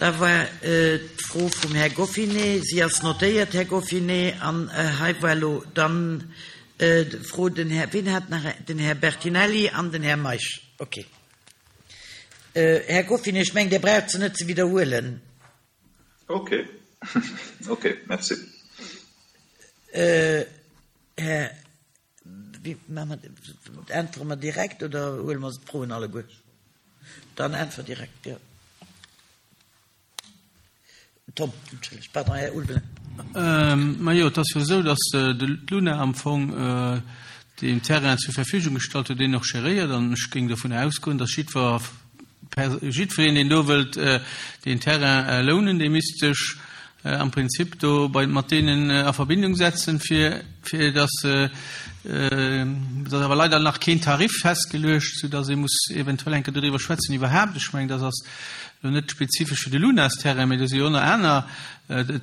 Da war d'Fro vum Här Goffinet. Si ass notéiert, Här Goffinet. An hei war elo dann d'Fro, den Här, wien hat nach, den Här Bertinelli an den Här Meisch. Okay. Här Goffinet, ech mengen, Dir braucht se net ze widderhuelen. Okay. Okay, merci. Här, wéi maache mer dat? Äntwere mer direkt oder huele mer d'Froen alleguer? Dann äntwert direkt, jo. Tom, entschëllegt, pardon, Här Ulveling. Majo, et ass jo esou, datt d'Luna am Fong deen Terrain zur Verfügung gestallt huet, deen och geréiert. An ech géing dovun ausgoen, datt jiddwer, jiddwereen, deen do wëllt deen Terrain lounen, dee misst sech am Prinzip do bei, mat deenen a Verbindung setzen, fir, fir datt, et ass awer leider nach keen Tarif festgeluecht, soudatt ee muss eventuell eng Kéier doriwwer schwätzen iwwerhaapt. Ech mengen, dat ass elo net spezifesch fir de Lunasterrain, mä do si jo och nach aner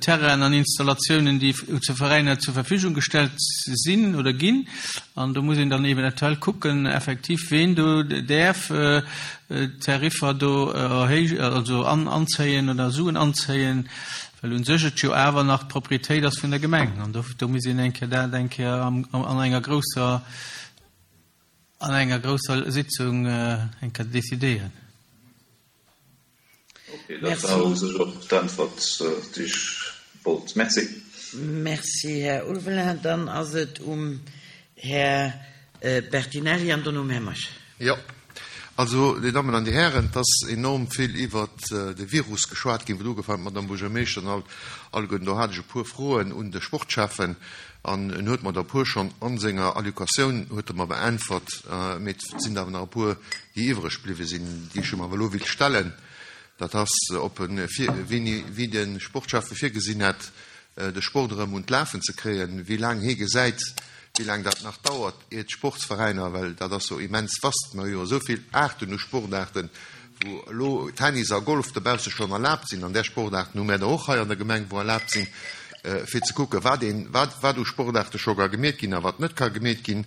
Terrainen an Installatiounen, déi zu Veräiner zur Verfügung gestellt sinn oder ginn. An do muss een dann eventuell kucken, effektiv, ween do däerf d'Tariffer do erhéijen, also anzéien oder Suen anzéien, well u sech et jo awer nach d'Propriétéit ass vun der Gemeng. An do, do muss een eng Kéier dat eng Kéier an enger grousser, an enger grousser Sitzung eng Kéier decidéieren. Ok, dat war u sech och d'Äntwert, déi ech wollt. Merci. Merci, Här Ulveling. Dann ass et um Här Bertinelli an dono um Här Meisch. Jo, also, Dir Dammen an Dir Hären, et ass enorm vill iwwert de Virus geschwat ginn, wou et ugefaangen huet, d'Madame Buergermeeschter an alleguerten. Do hat ech e puer Froen un de Sportschäffen an en huet mer der e puer schonn a senger Allocatioun huet e mer beäntwert, mee et sinn awer nach e puer, déi iwwreg bliwwe sinn, déi ech em awer elo wéilt stellen. Dat ass, ob e vir, wéini, wéi de Sportschäffe virgesinn hätt, de Sport erëm un d'Lafen ze kréien, wéi laang hie gesäit, wéi laang dat nach dauert, ier d'Sportsveräiner, well dat ass jo immens vast, mer hu jo esou vill Aarten u Sportaarten, wou elo Tennis a Golf dobausse schonn erlaabt sinn, an där Sportaarten hu mär der och hei an der Gemeng, wou erlaabt sinn, fir ze kucken, wat een, wat, wat u Sportaarte scho ka gemeet ginn a wat net ka gemeet ginn.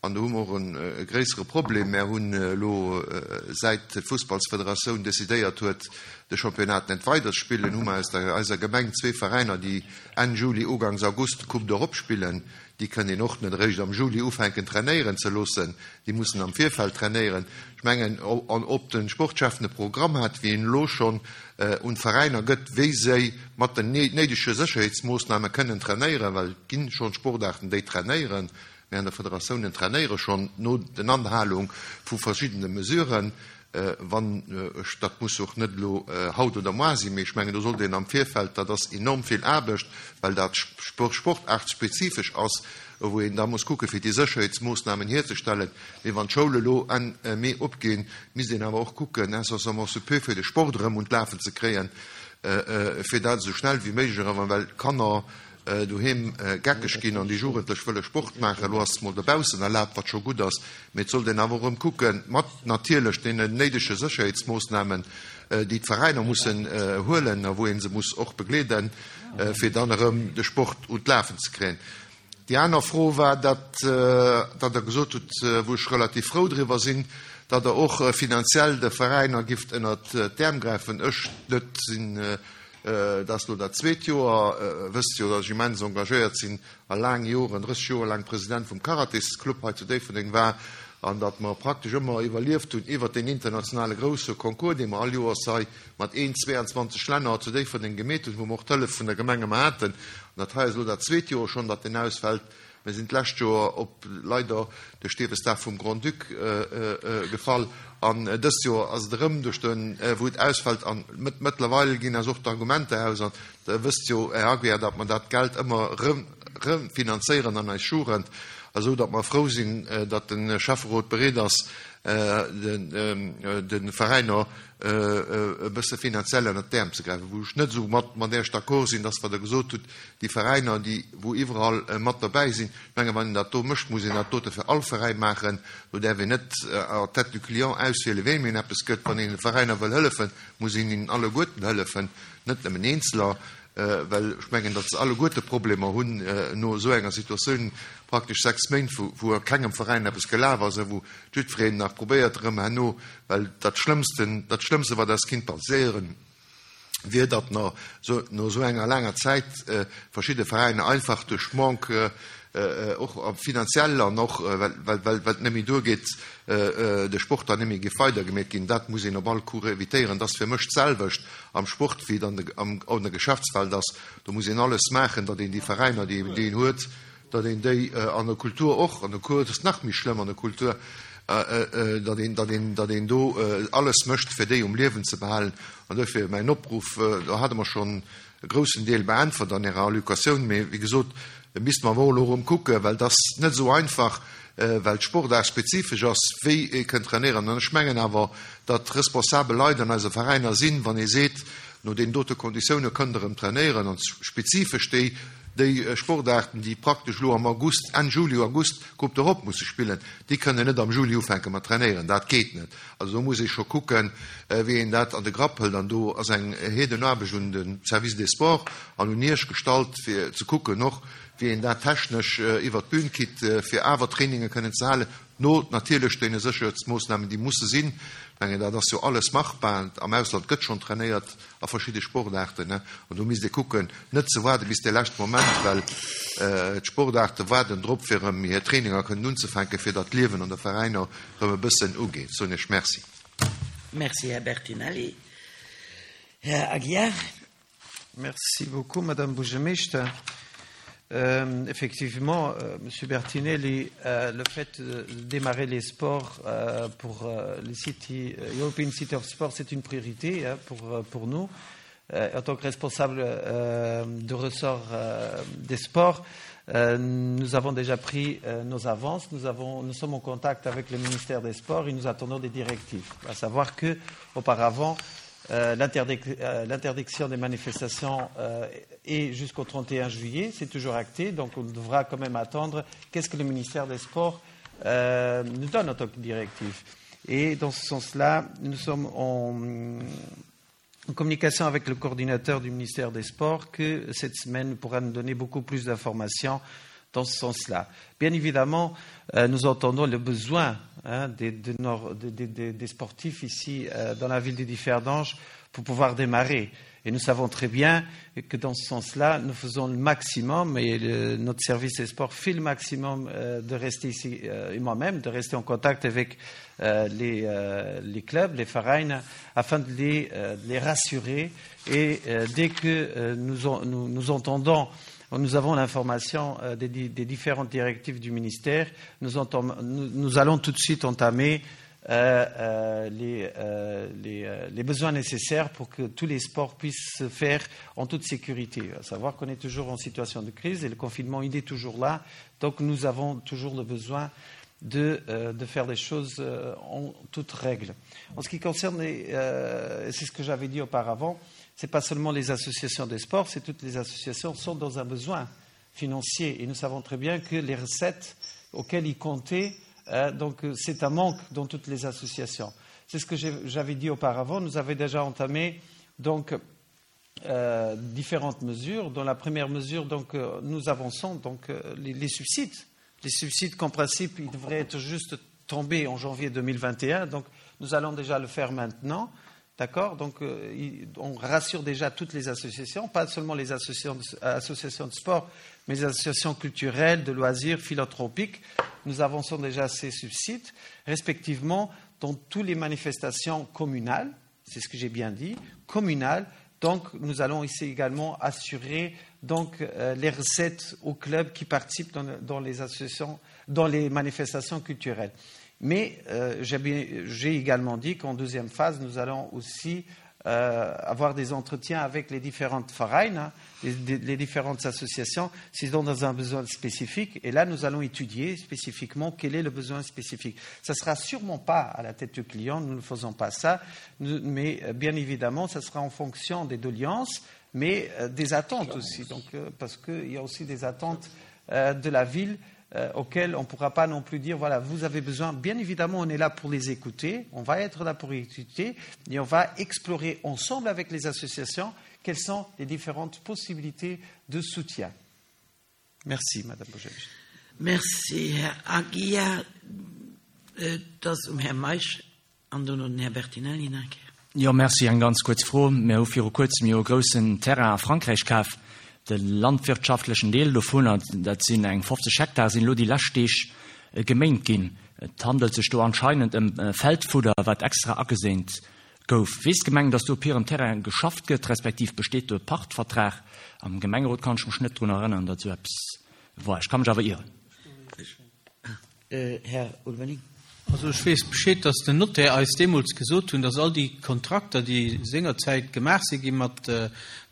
An do hu mer och e gréissere Problem. Mär hunn elo, säit d'Fussballsfederatioun decidéiert huet, de Championnat net weider ze spillen, hu mer aus der eiser Gemeng zwee Veräiner, déi Enn Juli, Ugangs August d'Coupe d'Europe spillen. Déi kënnt een och net eréischt am Juli ufänken trainéieren ze loossen. Déi mussen am Virfeld trainéieren. Ech mengen, an ob de Sportschef e Programm hat, wéi en elo schonn un d'Veräiner gëtt, wéi se mat den néidege Sécherheetsmoossname kënnen trainéieren, well et gi schonn Sportaarten, déi trainéieren, Mir an der Federatiounen trainéiere schonn no den Anhalung vu verschiddene Mesuren. Wann ech, dat muss och net elo haut oder moar sinn, mee ech mengen, do sollt een am Virfeld, dat ass enorm vill Aarbecht, well dat sportaartspezifesch ass, wou een da muss kucke fir déi Sécherheetsmoossnamen hierzestellen. Mee wann d'Schoule elo Enn Mee opginn, misst een awer och kucken, incessamment sous peu, fir de Sport erëm un d'Lafen ze kréien, fir dat esou schnell wéi méiglech erëm, well d'Kanner doheem geckeg ginn an déi Jugendlech wëlle Sport maachen. Elo ass et mol dobaussen erlaabt, wat scho gutt ass, mee et sollt een awer och erëm kucken, mat natierlech deenen néidege Sécherheetsmoossnamen, déi d'Veräiner mussen huelen a wou ee se muss och begleeden, fir dann erëm de Sport un d'Lafen ze kréien. Déi aner Fro war, datt Der gesot hutt, wou ech relativ frou driwwer sinn, datt Der och finanziell de Veräiner gifft ënnert d'Äerm gräifen. Ech net sinn Dat ass elo dat zweet Joer. Wësst jo, datt ech immens engagéiert sinn a laang Joren, 30 Joer laang President vum Karatesclub hei zu Déifferdeng war an datt mer praktesch ëmmer iwwerlieft hunn iwwert deen internationale grousse Concours, dee mer all Joers hei mat een 22 Länner zu Déifferdeng gemeet hunn, wou mer och d'Hëllef vun der Gemeng ëmmer haten. An dat hei ass elo dat zweet Joer schonn, datt deen ausfält. Mir sinn d'lescht Joer op leider de Stierwesdag vum Grand-Duc gefall an dëst Joer ass et erëm duerch de wou et ausfält an mëttlerweil ginn eis och d'Argumenter aus an Der wësst jo, Här Aguiar, datt mer dat Geld ëmmer erëm refinanzéieren an eis Jugend, esou datt mer frou sinn, datt de Schäfferot bereet ass, de Veräiner e bësse finanziell ënnert d'Äerm ze gräifen. Wou ech net esou mat mat Iech d'accord sinn, ass wat Der gesot hutt, déi Veräiner, déi wou iwwerall mat derbäi sinn. Ech menge wann een dat do mécht, muss een dat dote fir all Veräin maachen. Do däerf een net à tête du client auswielen, weem een eppes gëtt. Wann een de Veräiner wëll hëllefen, muss een hinnen alleguerten hëllefen, net nëmmen eenzeler, well ech mengen, datt se alleguerte Problemer hunn no esou enger Situatioun, praktesch 6 Méint, wou a kengem Veräin eppes gelaf ass a wou jiddwereen nach probéiert erëm herno, well dat Schlëmmsten, dat Schlëmmste wat eis kinnt passéieren. Wier, datt no esou enger laanger Zäit verschidde Veräiner einfach duerch Manque, och finanziell an och well et net méi duergeet, de Sport dann net méi géif weidergemeet ginn. Dat muss een op all Coup évitéieren. Dat ass fir mech d'selwecht am Sport, wéi et an der Geschäftswelt ass. Do muss een alles maachen, datt een déi Veräiner, déi een huet, datt een déi an der Kultur och, an der Kultur ass et nach méi schlëmm, an der Kultur, datt een, datt een, datt een do alles mécht, fir déi um Liewen ze behalen. An duerfir mäin Opruff, do hate mer schonn e groussen Deel beäntwert an Ärer Allocatioun, mee wéi gesot, misste mer awer och elo erëm kucken, well et ass net esou einfach, well d'Sportaart spezifesch ass, wéi ee kënnt trainéieren. An ech mengen awer, datt responsabel Leit an eise Veräiner sinn, wann ee seet, no deenen dote Konditioune kënnt Der erëm trainéieren, an spezifesch déi, Déi Sportaarten, déi praktesch elo am August, Enn Juli, August Coupe d'Europe musse spillen, déi kënnen net am Juli ufänke mat trainéieren. Dat geet net. Also do muss ee scho kucken, wéi een dat an de Grapp hëlt. An do ass eng Heedenaarbecht un de Service des Sports an un Iech gestallt, fir ze kucken och, wéi een dat technesch iwwert d'Bün kritt, fir awer Traininge kënnen ze halen, no natierlech deene Sécherheetsmoossnamen, déi musse sinn. Ech mengen, dat ass jo alles machbar. Am Ausland gëtt schonn trainéiert. a verschidde Sportaarten, an do misst ee kucken, net ze waarde bis de leschte Moment, well d'Sportaarte waarden drop, fir erëm hir Traininger kënnen unzefänken, fir datt d'Liewen an de Veräiner erëm e bëssen ugeet. Soen Iech Merci. Merci, Här Bertinelli. Här Aguiar. Merci beaucoup, Madame Buergermeeschter. Effectivement, Monsieur Bertinelli, le fait de démarrer les sports pour les City, European City of Sport, c'est une priorité hein, pour, pour nous. En tant que responsable de ressort des sports, nous avons déjà pris nos avances. Nous, avons, nous sommes en contact avec le ministère des Sports et nous attendons des directives. À savoir que, auparavant, euh, l'interdiction des manifestations euh, est jusqu'au 31 juillet, c'est toujours acté, donc on devra quand même attendre qu'est-ce que le ministère des Sports euh, nous donne en tant que directive. Et dans ce sens-là, nous sommes en, en communication avec le coordinateur du ministère des Sports que cette semaine pourra nous donner beaucoup plus d'informations dans ce sens-là. Bien évidemment, euh, nous entendons le besoin hein, des, de nos, des, des, des sportifs ici euh, dans la ville de Differdange pour pouvoir démarrer. Et nous savons très bien que dans ce sens-là, nous faisons le maximum et le, notre service des sports fait le maximum euh, de rester ici, euh, et moi-même, de rester en contact avec euh, les, euh, les clubs, les farines, afin de les, euh, de les rassurer. Et euh, dès que euh, nous, en, nous, nous entendons nous avons l'information euh, des, des différentes directives du ministère, nous, entam, nous, nous allons tout de suite entamer euh, euh, les, euh, les, euh, les besoins nécessaires pour que tous les sports puissent se faire en toute sécurité. À savoir qu'on est toujours en situation de crise et le confinement, il est toujours là. Donc nous avons toujours le besoin de, euh, de faire des choses euh, en toute règle. En ce qui concerne, euh, c'est ce que j'avais dit auparavant, ce n'est pas seulement les associations des sports, c'est toutes les associations sont dans un besoin financier. Et nous savons très bien que les recettes auxquelles ils comptaient, euh, donc c'est un manque dans toutes les associations. C'est ce que j'avais dit auparavant. Nous avons déjà entamé donc, euh, différentes mesures. Dans la première mesure, donc, euh, nous avançons donc, euh, les, les subsides. Les subsides qu'en principe, ils devraient être juste tombés en janvier 2021. Donc, nous allons déjà le faire maintenant. D'accord Donc, euh, on rassure déjà toutes les associations, pas seulement les associations de, associations de sport, mais les associations culturelles, de loisirs, philanthropiques. Nous avançons déjà ces subsides, respectivement, dans toutes les manifestations communales, c'est ce que j'ai bien dit, communales. Donc, nous allons ici également assurer donc, euh, les recettes aux clubs qui participent dans, dans les associations, dans les manifestations culturelles. Mais euh, j'ai également dit qu'en deuxième phase, nous allons aussi euh, avoir des entretiens avec les différentes Vereins, hein, les, les différentes associations, s'ils ont dans un besoin spécifique. Et là, nous allons étudier spécifiquement quel est le besoin spécifique. Ça ne sera sûrement pas à la tête du client, nous ne faisons pas ça, nous, mais euh, bien évidemment, ça sera en fonction des doléances, mais euh, des attentes aussi, donc, euh, parce qu'il y a aussi des attentes euh, de la ville euh, auxquelles on ne pourra pas non plus dire, voilà, vous avez besoin. Bien évidemment, on est là pour les écouter, on va être là pour écouter, et on va explorer ensemble avec les associations quelles sont les différentes possibilités de soutien. Merci, Madame Bojevich. Merci, Herr Aguiar. Euh, das um Herr Maisch an dann den Herr Bertinelli nach. Jo, merci. Eng ganz kuerz Fro. Mir hu viru Kuerzem jo e groussen Terrain a Frankräich kaf. De landwirtschaftlechen Deel dovunner, dat sinn eng 50 Hektar, sinn elo déi lescht Deeg geméint ginn. Et handelt sech do anscheinend ëm Feldfudder, wat extra ageséint gouf. Weess d'Gemeng, datt do op hirem Terrain geschafft gëtt, respektiv besteet do e Pachtvertrag? Am Gemengerot kann ech mech net drun erënneren, datt esou eppes war. Ech ka mech awer ieren. Här Ulveling. Also ech weess Bescheed, dass den Notaire eis deemools gesot hunn, dass all déi Kontrakter, déi sengerzäit gemaach si gi mat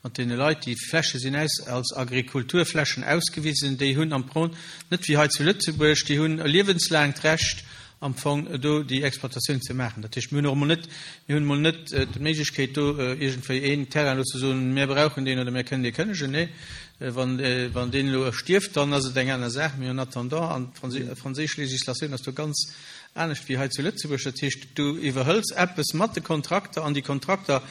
mat deene Leit, déi Fläche sinn aus als Agrikulturflächen ausgewisen, déi hunn am Pron net wéi hei zu Lëtzebuerg, déi hunn e liewenslaangt Recht am Fong do déi Exploitatioun ze maachen. Dat heescht, mir hunn och emol net, mir hunn emol net d'Méiglechkeet do iergendwéi een Terrain elo ze soen, mir brauchen deen oder mir kënnen dee kënnegen. Nee, wann, wann deen elo stierft, dann ass et eng aner Saach. Mee en attendant, an d'franséisch Législatioun ass do ganz anescht wéi hei zu Lëtzebuerg, dat heescht, du iwwerhëls eppes mat de Kontrakter an déi Kontrakter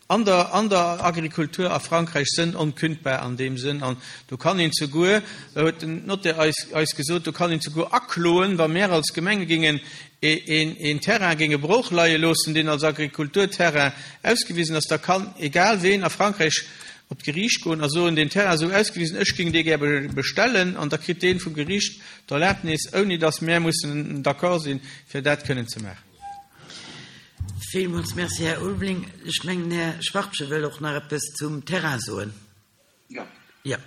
An der, an der Agrikultur a Frankräich sënn onkündbar an deem Sënn. An do kann een zeguer, huet den Notaire eis, eis gesot, do kann een zeguer akloen, wa mär als Gemenge géingen een, een Terrain géinge brooch leie loossen, deen als Agrikulturterrain ausgewisen ass, da kann egal ween a Frankräich op d'Geriicht goen a soen, deen Terrain ass esou ausgewisen, ech géing dee gär bestellen, an da kritt dee vum Geriicht d'Erlaabnis, ouni datt mär mussen d'accord sinn, fir dat kënnen ze maachen. Villmools Merci, Här Ulveling. Ech mengen, Här Schwachtgen wëll och nach eppes zum Terrain soen. Jo. Jo.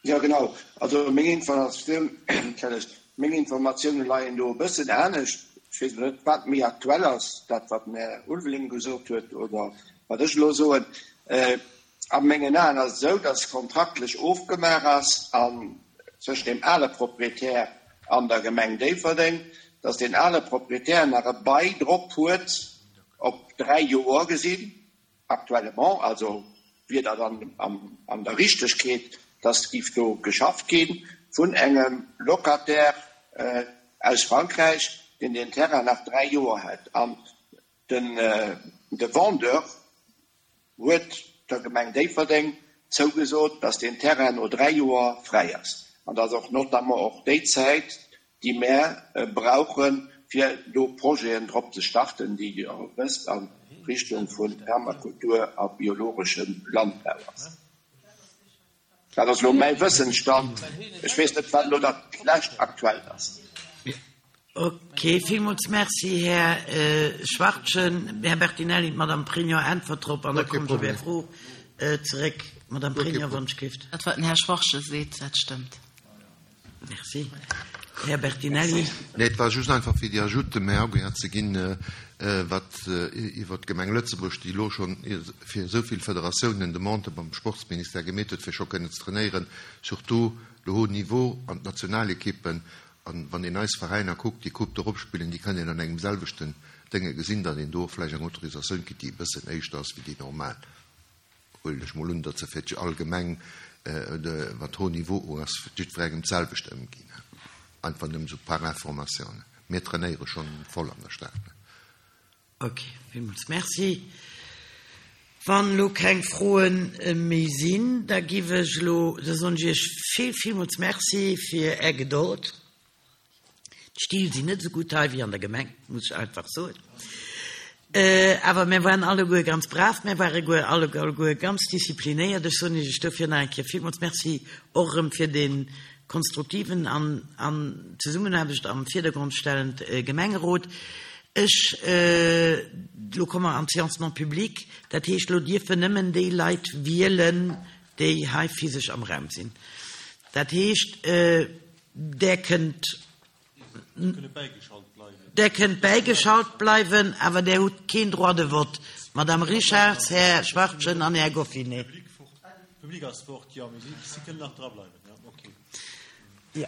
Jo, genau. Also meng Informatioun, entschëllegt, meng Informatioune leien do e bëssen anescht. Ech weess elo net, wat méi aktuell ass, dat wat den Här Ulveling gesot huet oder wat ech elo soen. A mengen Aen ass et esou, dass kontraktlech ofgemaach ass an zwëschen deem ale Proprietär an der Gemeng Déifferdeng, dass deen ale Proprietär nach e Bail drop huet op 3 Joer gesinn, actuellement, also wier dat an an der Richtegkeet, dass giff do geschafft gi vun engem Locataire aus Frankräich, deen deen Terrain nach 3 Joer hätt an den de Vendeur huet der Gemeng Déifferdeng zougesot, dass deen Terrain no 3 Joer fräi ass an dass och notamment och déi Zäit, déi mär brauchen, fir do Projeten drop ze starten, déi Dir och wësst a Richtung vu Permakultur a biologeschem Landbau ass. Dat ass elo mäi Wëssensstand. Ech weess net, wat elo dat lescht Aktuellt ass. Ok, villmools Merci, Här Schwachtgen. Här Bertinelli, d'Madame Pregno äntwert drop an da kommen ech op Är Fro zeréck. Madame Pregno, wann ech gift. Dat, wat den Här Schwachtgen seet, dat stëmmt. Merci. Här Bertinelli. Nee, et war just einfach fir déi Ajoute méi agréable ze ginn, wat iwwert d'Gemeng Lëtzebuerg, déi elo schonn fir esou vill Federatiounen Demandë beim Sportsministère gemeet huet, fir scho kënnen ze trainéieren, surtout le haut niveau an d'Nationalekippen. An wann een eis Veräiner kuckt, déi Coupe d'Europe spillen, déi kënnen een an engem selwechten Dénge gesinn, datt een do och vläicht eng Autorisatioun kritt, déi e bëssen éischter ass wéi déi normal. Huelen ech mol un, datt se fir allgemeng, wat haut niveau ass, fir jiddwerengem d'selwecht ëmginn. Einfach nëmmen esou par information. Mir trainéiere schonn voll an der Stad. Ok, villmools Merci. Wann elo keng Froe méi sinn, da giff ech elo, da soen ech Iech vill, villmools Merci fir Är Gedold. D'Still sinn net esou gutt hei wéi an der Gemeng, muss ech einfach soen. Awer mär waren alleguer ganz brav, mär ware guer alleguer ganz disziplinéiert. Ech soen Iech dofir nach eng Kéier villmools Merci, och erëm fir dee konstruktiven an an d'Zesummenaarbecht am Virdergrond stellend Gemengerot. Ech, elo komme mer an d'Séance non publique, dat heescht, elo dierfen nëmmen déi Leit wielen, déi hei physesch am Raum sinn. Dat heescht, Där kënnt, där kënnt bäigeschalt bleiwen, awer där hutt keen Droit de vote, Madame Richarz, Här Schwachtgen an Här Goffinet. Jo.